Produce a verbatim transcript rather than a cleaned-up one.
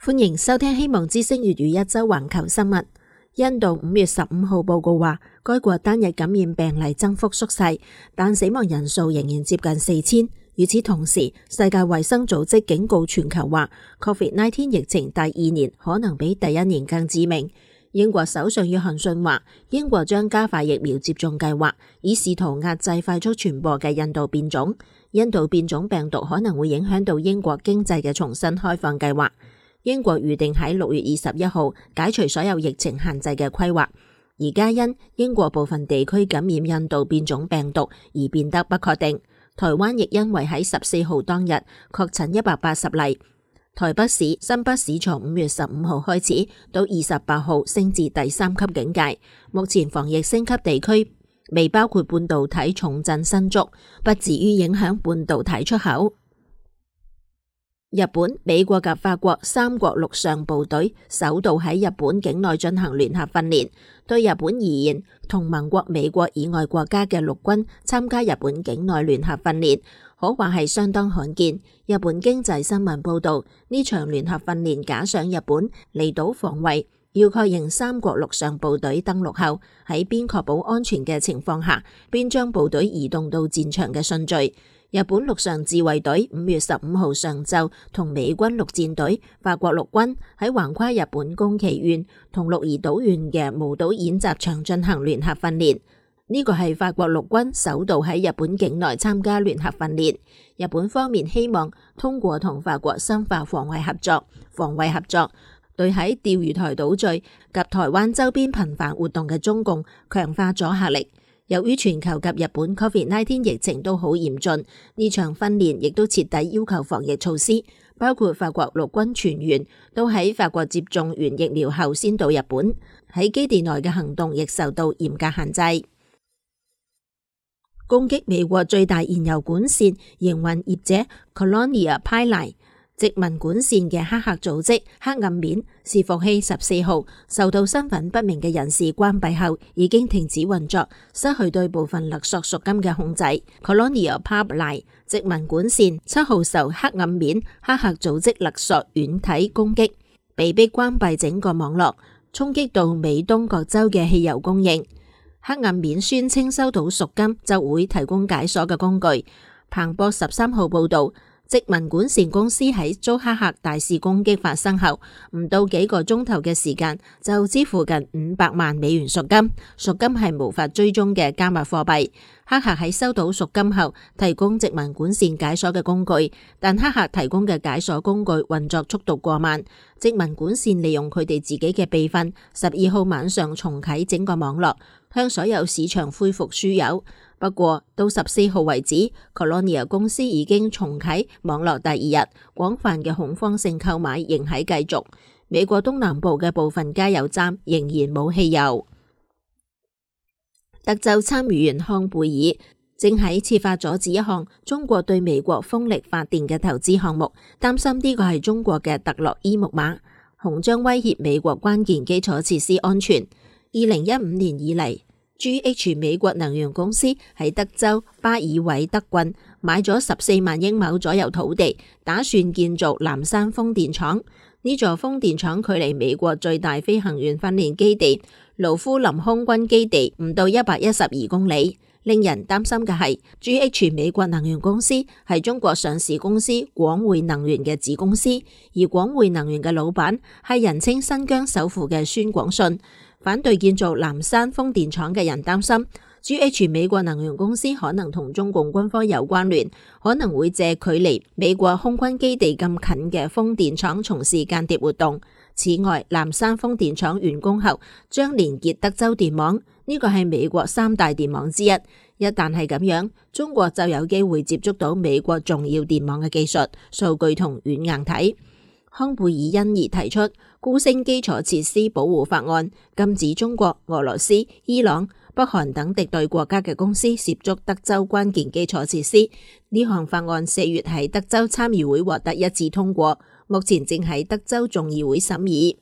歡迎收聽希望之聲粵語一周環球新聞。印度五月十五號報告話，該國單日感染病例增幅縮細，但死亡人數仍然接近四千。與此同時，世界衛生組織警告全球話 ，Covid 十九 疫情第二年可能比第一年更致命。英國首相約翰遜話，英國將加快疫苗接種計劃，以試圖壓制快速傳播嘅印度變種。印度變種病毒可能會影響到英國經濟嘅重新開放計劃。英國預定喺六月二十一號解除所有疫情限制嘅規劃，而家因英國部分地區感染印度變種病毒而變得不確定。台灣亦因為喺十四號當日確診一百八十例。台北市、新北市從五月十五號開始到二十八號升至第三級警戒。目前防疫升級地區未包括半導體重鎮新竹，不至於影響半導體出口。日本、美國及法國三國陸上部隊首度喺日本境內進行聯合訓練。對日本而言，同盟國美國以外國家嘅陸軍參加日本境內聯合訓練，可話係相當罕見。日本經濟新聞報道，呢場聯合訓練假想日本離島防衛，要確認三國陸上部隊登陸後，喺邊確保安全嘅情況下，邊將部隊移動到戰場嘅順序。日本陸上自衛隊五月十五號上晝同美軍陸戰隊、法國陸軍喺橫跨日本宮崎縣同鹿兒島縣嘅無島演習場進行聯合訓練。呢個係法國陸軍首度喺日本境內參加聯合訓練。日本方面希望通過同法國深化防衛合作，防衛合作對喺釣魚台島嶼及台灣周邊頻繁活動嘅中共強化阻嚇力。由於全球及日本 Covid 十九 疫情都好嚴峻，呢場訓練亦都徹底要求防疫措施，包括法國陸軍全員都喺法國接種完疫苗後先到日本，喺基地內嘅行動亦受到嚴格限制。攻擊美國最大燃油管線營運業者 Colonial Pipeline 殖民管線嘅黑客組織黑暗面伺服器十四號受到身份不明嘅人士關閉後，已經停止運作，失去對部分勒索贖金嘅控制。Colonial Pipeline 殖民管線七號受黑暗面黑客組織勒索軟體攻擊，被迫關閉整個網絡，衝擊到美東各州嘅汽油供應。黑暗面宣稱收到贖金就會提供解鎖嘅工具。彭博十三號報道，殖民管線公司喺遭黑客大肆攻擊發生後，唔到幾個鐘頭嘅時間就支付近五百萬美元贖金。贖金係無法追蹤嘅加密貨幣。黑客喺收到贖金後提供殖民管線解鎖嘅工具，但黑客提供嘅解鎖工具運作速度過慢。殖民管線利用佢哋自己嘅備份，十二號晚上重啟整個網絡，向所有市場恢復輸油。不過到十四號為止 Colonial 公司已經重啟網絡第二日，廣泛嘅恐慌性購買仍喺繼續。美國東南部嘅部分加油站仍然冇汽油。德州參議員康貝爾正喺設法阻止一項中國對美國風力發電嘅投資項目，擔心呢個係中國嘅特洛伊木馬，恐將威脅美國關鍵基礎設施安全。二零一五年以嚟，G H 美國能源公司喺德州巴爾韋德郡買咗十四萬英畝左右土地，打算建造藍山風電廠。呢座風電廠距離美國最大飛行員訓練基地盧夫林空軍基地唔到一百一十二公里。令人擔心嘅係 G H 美國能源公司係中國上市公司廣匯能源嘅子公司，而廣匯能源嘅老闆係人稱新疆首富嘅孫廣信。反對建造藍山風電廠嘅人擔心 G H 美國能源公司可能同中共軍方有關聯，可能會借距離美國空軍基地咁近嘅風電廠從事間諜活動。此外，藍山風電廠完工後將連結德州電網，呢個係美國三大電網之一。一旦係咁樣，中國就有機會接觸到美國重要電網嘅技術、數據同軟硬體。康貝爾因而提出高升基礎設施保護法案，禁止中國、俄羅斯、伊朗、北韓等敵對國家嘅公司涉足德州關鍵基礎設施。呢項法案四月喺德州參議會獲得一致通過，目前正喺德州眾議會審議。